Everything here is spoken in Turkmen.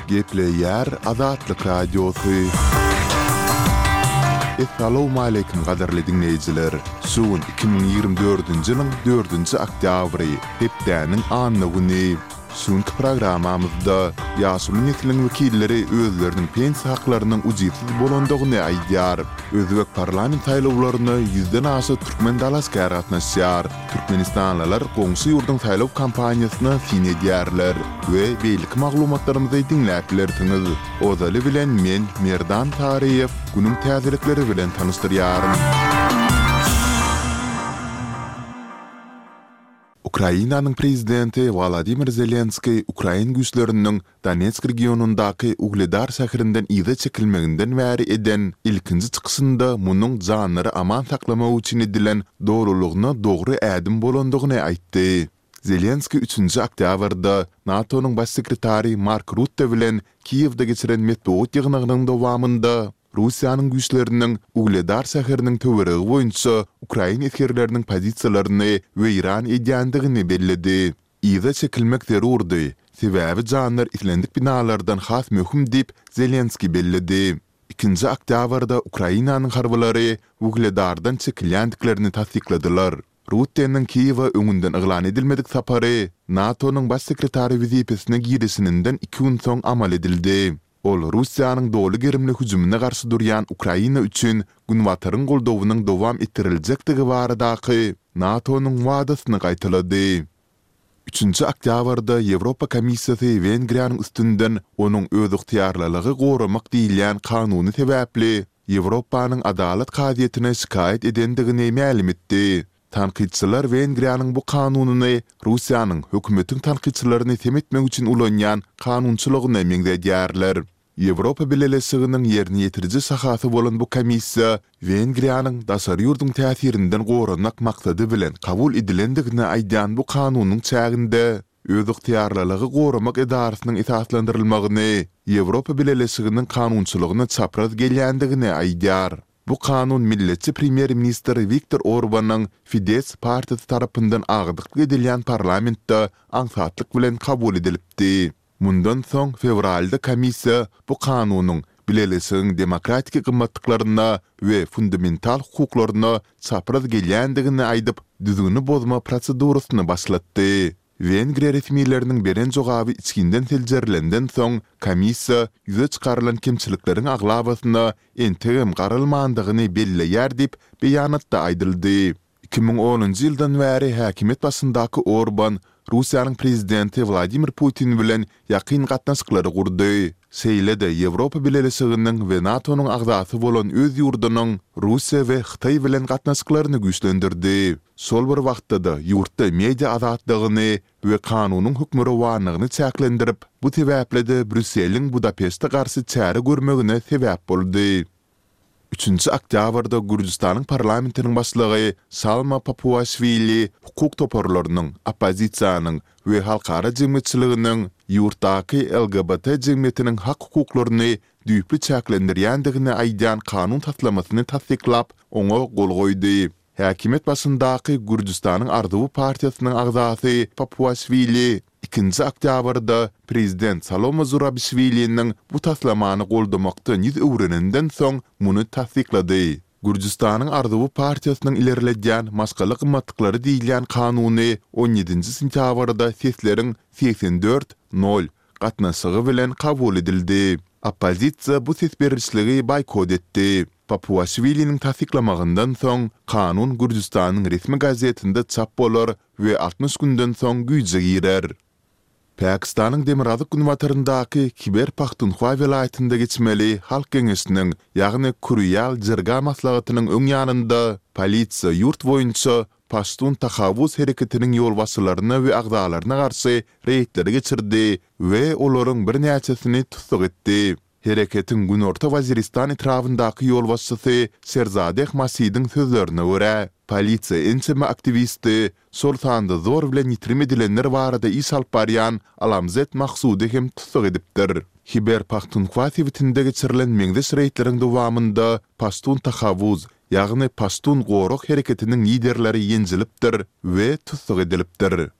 Gepleýär Azatlyk Radiosy. Essalawmaleýkim gadyrly diňleýjiler! Şu gün 2024-nji ýylyň dördünji oktýabry, hepdäniň anna güni. Şu günki programmamyzda ýaşuly nesliň wekilleri özleriniň pensiýa haklarynyň ujypsyz bolandygyny aýdýar. Özbek parlament saýlawlaryna ýüzden aşa türkmen dalaşgär gatnaşýar. Türkmenistanlylar goňşy ýurduň saýlaw kampaniýasyna syn edýärler we beýleki maglumatlarymyzy diňläp bilersiňiz. Ozaly bilen men, Merdan Taryýew, günüň täzelikleri bilen tanyşdyrýaryn. Ukrainanyň prezidenti Wolodymyr Zelenskiý ukrain güýçleriniň Donetsk regionyndaky Ugledar şäherinden yza çekilmeginden bäri eden ilkinji çykyşynda munuň janlary aman saklamak üçin edilen dolulygyna dogry ädim bolandygyny aýtdy. Zelenskiý üçünji oktýabrda NATO-nyň Baş sekretary Mark Rutte bilen Kiýewde geçiren metbugat ýygnagynyň dowamynda Russiýanyň güýçleriniň Ugledar şäheriniň töweregi boýunça ukrain esgerleriniň pozisiýalaryny weýran edýändigini belledi. Yza çekilmek zerurdy, sebäbi janlar islendik binalardan has möhüm diýip, Zelenskiý belledi. Ikinji oktýabrda Ukrainanyň harbylary Ugledardan çekilýändiklerini tassykladylar. Rutteniň Kiýewe öňünden yglan edilmedik sapary NATO-nyň Baş sekretary wezipesine girişininden iki gün soň amal edildi. Ol Russiýanyň doly gerimli hüjümine garşy durýan Ukraina üçin Günbataryň goldawynyň dowam etdiriljekdigi baradaky NATO-nyň wadasyny gaýtalady. Üçünji oktýabrda Ýewropa Komissiýasy Wengriýanyň üstünden onuň özygtyýarlylygy goramak diýilýän kanuny sebäpli Ýewropanyň Adalat kazyýetine şikaýat edendigini mälim etdi. Tankytçylar Wengriýanyň bu kanunyny Russiýanyň hökümetiň tankytçylaryny sem etmek üçin ulanýan kanunçylygyna meňzedýärler. Ýewropa Bileleşiginiň ýerine ýetiriji şahasy bolan bu komissiýa Wengriýanyň daşary ýurduň täsirinden goranmak maksady bilen kabul edilendigini aýdýan bu kanunyň çäginde özygtyýarlylygy goramak edarasynyň esaslandyrylmagyny Ýewropa Bileleşiginiň kanunçylygyna çapraz gelýändigini aýdýar. Bu kanun milletçi premýer-ministr Wiktor Orbanyň Fidesz partiýasy tarapyndan agdyklyk edilýän parlamentde aňsatlyk bilen kabul edilipdi. Mundan soň fewralda komissiýa bu kanunyň Bileleşigiň demokratiki gymmatlyklaryna we fundamental hukuklaryna çapraz gelýändigini aýdyp, düzgüni bozma prosedurasyny başlatdy. Wengriýa resmileriniň beren jogaby içginden seljerilenden soň, komissiýa ýüze çykarylan kemçilikleriň aglabasyna entegem garalmandygyny belleýär diýip, beýanatda aýdyldy. 2010-njy ýyldan bäri häkimiýet başyndaky Orban Russiýanyň prezidenti Wladimir Putin bilen ýakyn gatnaşyklary gurdy. Şeýle-de Ýewropa Bileleşiginiň we NATO-nyň agzasy bolan öz ýurdunyň Russiýa we Hytaý bilen gatnaşyklaryny güýçlendirdi. Şol bir wagtda-da ýurtda media azatlygyny we kanunyň hökmürowanlygyny çäklendirip, bu sebäpli-de Brýusseliň Budapeşte garşy çäre görmegine sebäp boldy. Üçünji oktýabrda Gürjüstanyň parlamentiniň başlygy Salma Papuaşwili hukuk toparlarynyň, oppozisiýanyň we halkara jemgyýetçiliginiň ýurtdaky LGBT jemgyýetiniň hak-hukuklaryny düýpli çäklendirýändigini aýdýan kanun taslamasyny tassyklap, oňa gol goýdy. Häkimiýet başyndaky Gürjüstanyň Arzuwy partiýasynyň agzasy Papuaşwili ikinji oktýabrda prezident Salome Zurabişwiliniň bu taslamany goldamakdan ýüz öwreninden soň muny tassyklady. Gürjüstanyň Arzuwy partiýasynyň ilerledýän maşgala gymmatlyklary diýilýän kanuny on ýedinji sentýabrda sesleriň 84, nol gatnaşygy bilen kabul edildi. Oppozisiýa bu ses berişligi boýkot etdi. Papuaşwiliniň tassyklamagyndan soň, kanun Gürjüstanyň resmi gazetinde çap bolar we 60 günden soň güýje girer. Pakistanyň demirgazyk-günbataryndaky Hiber-Pahtunhwa welaýatynda geçmeli Halk Geňeşiniň, ýagny Kurýal Jirga maslahatynyň öň ýanynda polisiýa ýurt boýunça Paştun Tahavvuz hereketiniň ýolbaşçylaryna we agzalaryna garşy reýdleri geçirdi we olaryň birnäçesini tussag etdi. Hereketiň Günorta Waziristan etrabyndaky ýolbaşçysy Şerzadeh Masidiň sözlerine görä, polisiýa ençeme aktiwisti, şol sanda zor bilen ýitirim edilenler barada iş alyp barýan Alamzet Mahsudy hem tussag edipdir. Hiber-Pahtunhwa sebitinde geçirilen meňzeş reýdleriň dowamynda Paştun Tahavvuz, ýagny Paştun gorag hereketiniň liderleri ýenjilipdir we tussag edilipdir.